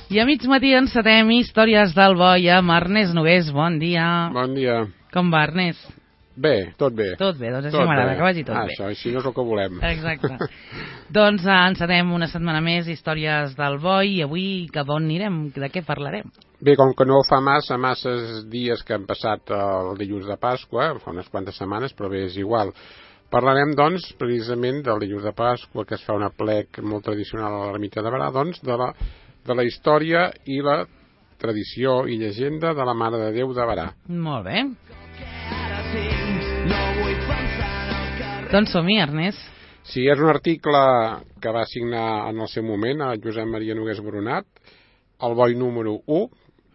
I a mig matí encetem Històries del Boi amb Ernest Nogués. Bon dia. Bon dia. Com va, Ernest? Bé, tot bé. Tot bé, doncs això m'agrada, que vagi tot bé. Això, així no és el que volem. Exacte. Doncs encetem una setmana més Històries del Boi i avui cap on anirem? De què parlarem? Bé, com que no fa masses dies que han passat el dilluns de Pasqua, fa unes quantes setmanes, però bé, és igual. Parlarem, doncs, precisament del dilluns de Pasqua, que es fa un aplec molt tradicional a l'ermita de Berà, doncs, de la història i la tradició i llegenda de la Mare de Déu de Berà. Molt bé. Doncs som-hi, Ernest. Sí, és un article que va signar en el seu moment a Josep Maria Nogués Boronat, el Boi número 1,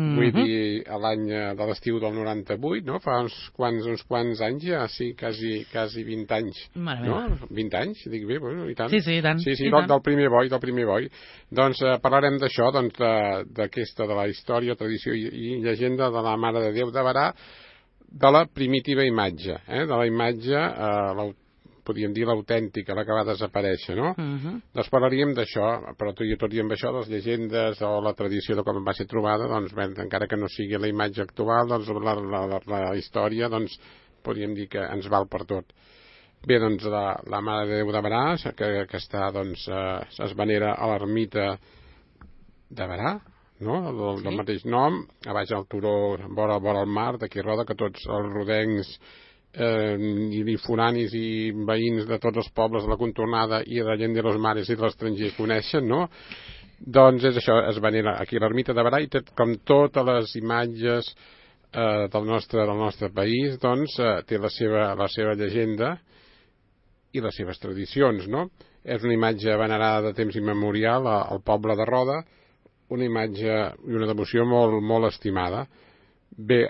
vull dir, a l'any de l'estiu del 98, no? Fa uns quants anys ja, sí, quasi 20 anys. No? 20 anys, dic bé, bueno, i tant. Sí, i tant. Sí, del primer boi. Doncs parlarem d'això, doncs, d'aquesta, de la història, tradició i llegenda de la Mare de Déu de Berà, de la primitiva imatge, de la imatge, podríem dir l'autèntica, la que va desaparèixer, no? Doncs parlaríem d'això, però tot i amb això, les llegendes o la tradició de com va ser trobada, doncs, bé, encara que no sigui la imatge actual, doncs la història, doncs, podríem dir que ens val per tot. Bé, doncs, la Mare de Déu de Berà, que està, doncs, es venera a l'ermita de Berà, no? Del mateix nom, a baix al turó, vora el mar, d'aquí roda, que tots els rodencs i foranis i veïns de tots els pobles de la contornada i de la gent de los mares i de l'estranger coneixen, no? Doncs és això, es venera aquí a l'ermita de Berà i com totes les imatges del nostre país, doncs té la seva llegenda i les seves tradicions, no? És una imatge venerada de temps immemorial al poble de Roda, una imatge i una devoció molt, molt estimada. Bé,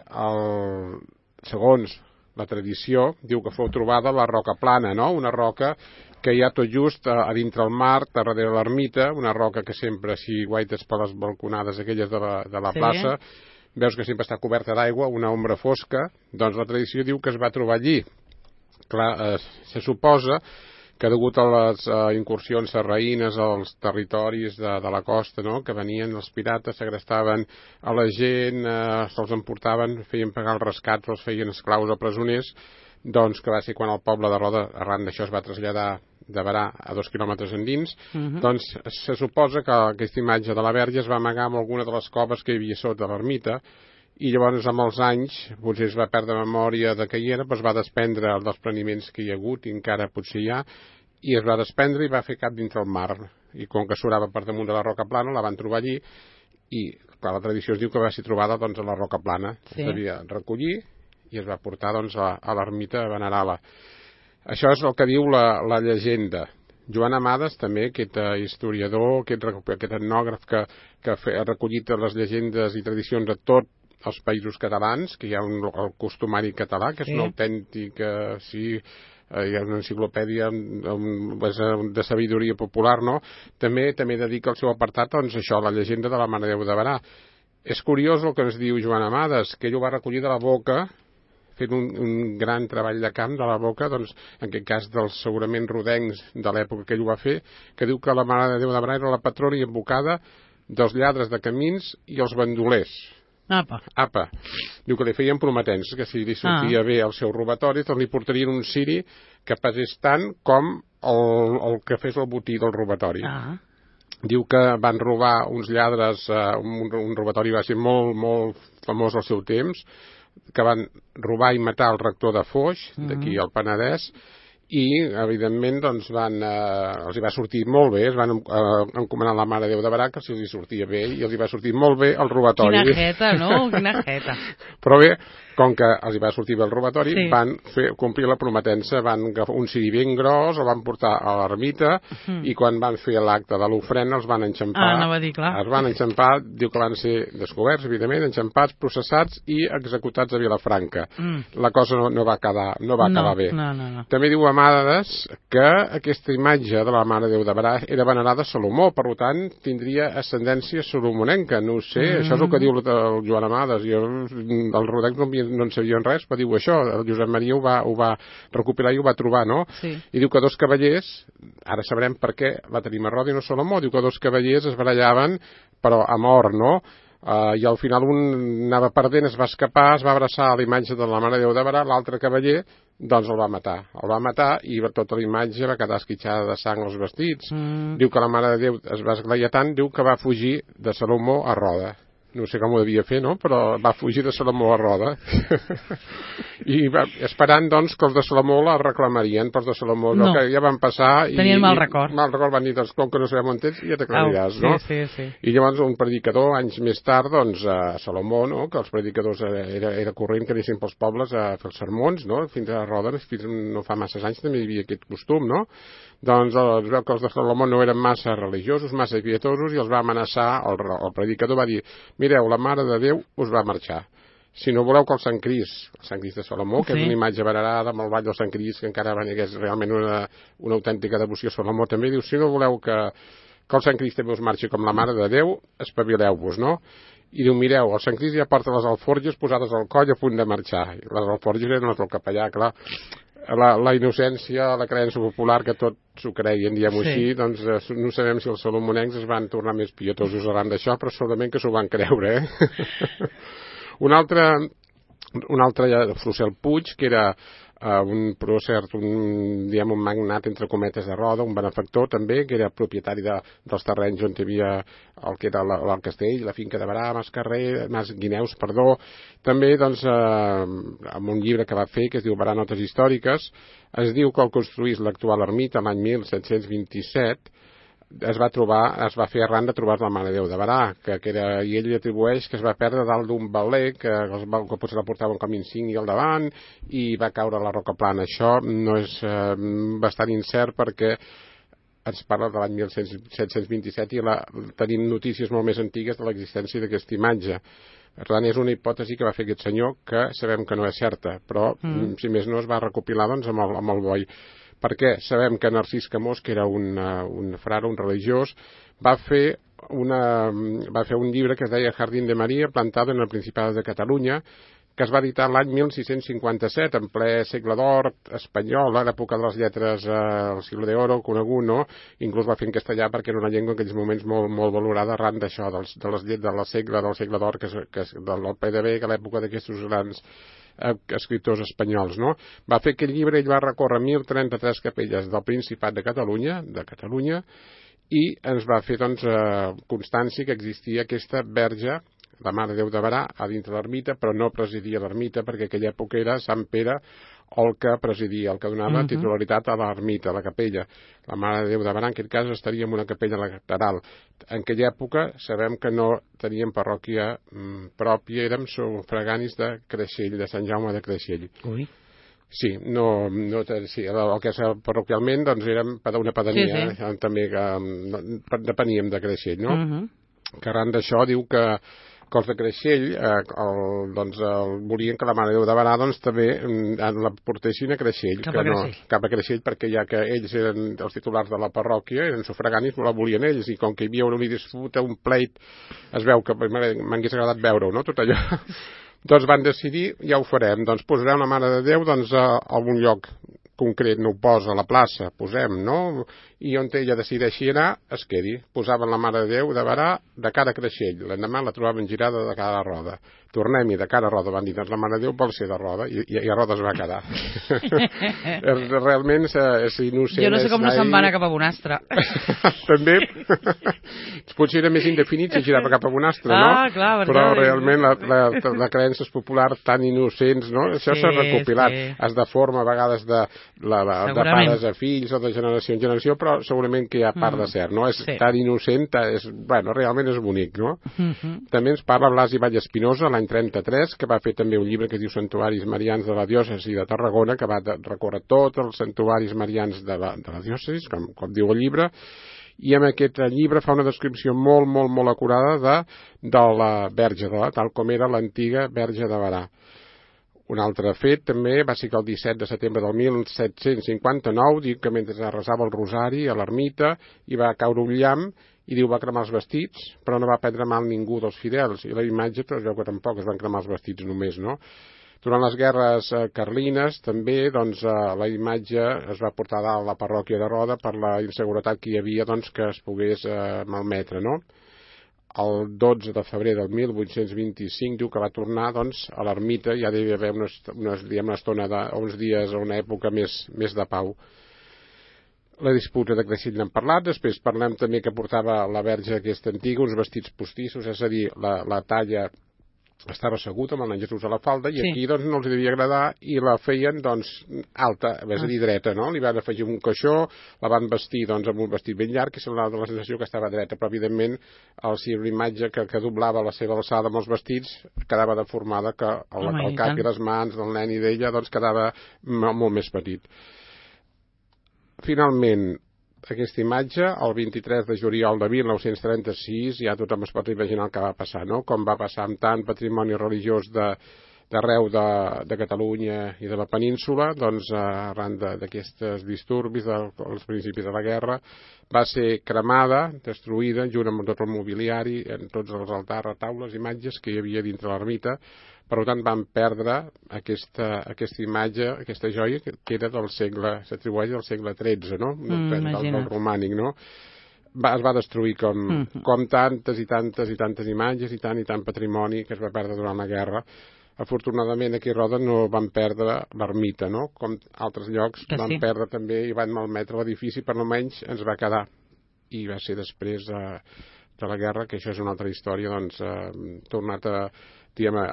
segons la tradició diu que fou trobada a la roca plana, no? Una roca que hi ha tot just a dintre el mar, darrere l'ermita, una roca que sempre, si guaites per les balconades aquelles de la plaça, veus que sempre està coberta d'aigua, una ombra fosca, doncs la tradició diu que es va trobar allí. Clar, se suposa que degut a les incursions sarraïnes als territoris de la costa, no? Que venien els pirates, segrestaven a la gent, se'ls emportaven, feien pagar els rescats, els feien esclaus o presoners, doncs que va ser quan el poble de Roda, arran d'això, es va traslladar de Berà a 2 quilòmetres endins, doncs se suposa que aquesta imatge de la Verge es va amagar en alguna de les coves que hi havia sota l'ermita, i llavors amb els anys potser es va perdre memòria de què hi era, però es va desprendre dels preniments que hi ha hagut i encara potser hi ha, i es va desprendre i va fer cap dintre el mar, i com que surava per damunt de la roca plana la van trobar allí, i clar, la tradició es diu que va ser trobada doncs, a la roca plana, es devia recollir i es va portar doncs, a l'ermita a venerar-la. Això és el que diu la llegenda. Joan Amades també, aquest historiador, aquest etnògraf que ha recollit les llegendes i tradicions de tot els països catalans, que hi ha el costumari català, que és un autèntic, hi ha una enciclopèdia de sabidoria popular, no? També dedica el seu apartat, doncs això, la llegenda de la Mare de Déu de Berà. És curiós el que ens diu Joan Amades, que ell ho va recollir de la boca, fent un gran treball de camp de la boca, doncs, en aquest cas dels segurament rodencs de l'època que ell ho va fer, que diu que la Mare de Déu de Berà era la patrona i invocada dels lladres de camins i els bandolers. Apa. Diu que li feien prometences, que si li sortia bé el seu robatori, doncs li portarien un ciri que pesés tant com el que fes el botí del robatori. Diu que van robar uns lladres, un robatori va ser molt, molt famós al seu temps, que van robar i matar el rector de Foix, d'aquí al Penedès, i evidentment doncs els hi va sortir molt bé, es van encomanar la Mare de Déu de Berà que si els hi sortia bé i els hi va sortir molt bé el robatori. Quina jeta, no? Quina jeta. Però bé, com que els hi va sortir bé el robatori, van complir la prometença, van agafar un ciri ben gros, el van portar a l'ermita i quan van fer l'acte de l'ofrena els van enxampar. No va dir clar. Els van enxampar, diu que van ser descoberts, evidentment, enxampats, processats i executats a Vilafranca. La cosa no va acabar bé. No. També diu Amades que aquesta imatge de la Mare de Déu de Berà era venerada a Salomó, per tant tindria ascendència salomonenca, no ho sé, això és el que diu el Joan Amades, jo els rodencs no no en sabien res, però diu això, el Josep Maria ho va recopilar i ho va trobar, no? Sí. I diu que dos cavallers, ara sabrem per què la tenim a Roda i no Salomó, diu que dos cavallers es barallaven, però a mort, no? I al final un anava perdent, es va escapar, es va abraçar a la imatge de la Mare de Déu de Barà, l'altre cavaller doncs el va matar i tota la imatge va quedar esquitxada de sang als vestits. Diu que la Mare de Déu es va esglaiar tant, diu que va fugir de Salomó a Roda. No sé com ho devia fer, no? Però va fugir de Salomó a Roda. I esperant, doncs, que els de Salomó la reclamarien, però els de Salomó no, que ja van passar... Tenien mal record. Mal record, van dir, doncs, com que no sabem on tens, ja t'aclariràs, no? Sí. I llavors un predicador, anys més tard, doncs, a Salomó, no?, que els predicadors era corrent que anessin pels pobles a fer els sermons, no?, fins a Roda, fins no fa masses anys també hi havia aquest costum, no?, doncs es veu que els de Salomó no eren massa religiosos, massa pietosos, i els va amenaçar, el predicador va dir, mireu, la Mare de Déu us va marxar. Si no voleu que el Sant Crist de Salomó, que és una imatge venerada amb el ball del Sant Crist, que encara és realment una autèntica devoció a Salomó, també diu, si no voleu que el Sant Crist també us marxi com la Mare de Déu, espavileu-vos, no? I diu, mireu, el Sant Crist ja porta les alforges posades al coll a punt de marxar. I les alforges eren el capellà, clar. La innocència, la creença popular, que tot s'ho creien, diguem-ho així, doncs no sabem si els salomonencs es van tornar més pietosos arran d'això, però segurament que s'ho van creure, Un altre, Frucel Puig, que era un prócer, un magnat, entre cometes, de Roda, un benefactor també, que era propietari dels terrenys on hi havia el que era el castell, la finca de Barà, Mas Guineus, també, doncs, amb un llibre que va fer, que es diu Barà Notes Històriques, es diu que el construís l'actual ermita l'any 1727, es va fer arran de trobar la Mare de Déu de Barà, i ell li atribueix que es va perdre dalt d'un baler, que potser la portava un camí insigni al davant, i va caure a la roca plana. Això no és bastant incert perquè ens parla de l'any 1727 i tenim notícies molt més antigues de l'existència d'aquesta imatge. Per tant, és una hipòtesi que va fer aquest senyor, que sabem que no és certa, però, si més no, es va recopilar doncs, amb el boi. Perquè sabem que Narcís Camós, que era un frare, un religiós, va fer un llibre que es deia Jardín de María, plantado en el Principado de Catalunya, que es va editar l'any 1657, en ple segle d'or espanyol, a l'època de les lletres, el siglo de oro, conegut, no? Inclús va fer en castellà perquè era una llengua en aquells moments molt valorada arran d'això, del segle d'or, del PDB, que a l'època d'aquests grans escriptors espanyols, no? Va fer aquell llibre, ell va recórrer 1.033 capelles del Principat de Catalunya, i ens va fer, doncs, constància que existia aquesta verge, la Mare de Déu de Barà, a dintre l'ermita, però no presidia l'ermita, perquè aquella època era Sant Pere el que presidia, el que donava titularitat a l'ermita, a la capella. La Mare de Déu de Barà, en aquest cas, estaria en una capella lateral. En aquella època sabem que no teníem parròquia pròpia, érem sufraganis de Creixell, de Sant Jaume de Creixell. Ui. Sí, sí, el que és parroquialment, doncs érem una pedania, també que depeníem de Creixell, no? Que arran d'això diu que els de Creixell volien que la Mare de Déu de Barà doncs, també la portessin a Creixell. Cap a Creixell, perquè ja que ells eren els titulars de la parròquia, eren sufraganis, la volien ells, i com que hi havia una disputa, un pleit, es veu que m'hagués agradat veure-ho, no?, tot allò. Doncs van decidir, ja ho farem, doncs posarem la Mare de Déu a algun lloc concret, no ho posa a la plaça, posem, no? I on ella decideixi anar, es quedi. Posaven la Mare de Déu de Barà de cara a Creixell. L'endemà la trobaven girada de cara a Roda. Tornem-hi de cara a Roda. Van dir, doncs la Mare de Déu vol ser de Roda, i a Roda es va quedar. Realment és innocent. Jo no sé com no se'n va anar cap a Bonastre. També. Potser era més indefinit si girava cap a Bonastre, no? Clar, però realment la creença és popular, tan innocents, no? Això s'ha recopilat. Es deforma a vegades de pares a fills o de generació en generació, però segurament que hi ha part de cert, no? És tan innocent, realment és bonic, no? També ens parla Blasi Vallespinosa, l'any 33, que va fer també un llibre que es diu Santuaris Marians de la Diòcesi de Tarragona, que va recórrer tots els santuaris marians de la diòcesi, com diu el llibre, i en aquest llibre fa una descripció molt acurada de la Verge, tal com era l'antiga Verge de Barà. Un altre fet també va ser que el 17 de setembre del 1759 diu que mentre resava el rosari a l'ermita hi va caure un llamp i diu va cremar els vestits, però no va prendre mal ningú dels fidels, i la imatge es veu que tampoc es van cremar els vestits només, no? Durant les guerres carlines també doncs, la imatge es va portar a dalt a la parròquia de Roda per la inseguretat que hi havia doncs, que es pogués malmetre, no? El 12 de febrer del 1825 diu que va tornar doncs, a l'ermita, ja devia haver una estona uns dies o una època més de pau. La disputa de Creixell n'hem parlat, després parlem també que portava la verge aquesta antiga, uns vestits postissos, és a dir, la talla estava assegut amb el nen Jesús a la falda i aquí doncs no els devia agradar i la feien doncs alta, és a dir, dreta, no? Li van afegir un caixó, la van vestir doncs amb un vestit ben llarg i semblava la sensació que estava dreta, però evidentment si una imatge que doblava la seva alçada amb els vestits quedava deformada, que el cap i les mans del nen i d'ella doncs quedava molt més petit. Finalment, aquesta imatge, el 23 de juliol de 1936, ja tothom es pot imaginar el que va passar, no? Com va passar amb tant patrimoni religiós d'arreu de Catalunya i de la península, doncs arran d'aquests disturbis als principis de la guerra, va ser cremada, destruïda, junt amb tot el mobiliari, en tots els altars, retaules, imatges que hi havia dintre l'ermita. Per tant, van perdre aquesta imatge, aquesta joia, que era del segle, s'atribueix al segle XIII, no? Del romànic, no? Es va destruir com tantes i tantes imatges i tant patrimoni que es va perdre durant la guerra. Afortunadament aquí a Roda no van perdre l'ermita, no? Com altres llocs van perdre també i van malmetre l'edifici, però almenys ens va quedar. I va ser després de la guerra, que això és una altra història, doncs tornat a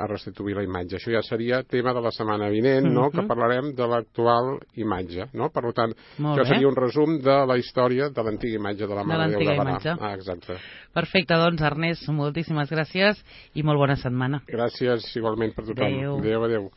restituir la imatge. Això ja seria tema de la setmana vinent, no? Que parlarem de l'actual imatge, no? Per tant, això seria un resum de la història de l'antiga imatge de la Mare de Déu de Barà. Exacte. Perfecte, doncs Ernest, moltíssimes gràcies i molt bona setmana. Gràcies igualment per tothom. Adéu. Adéu.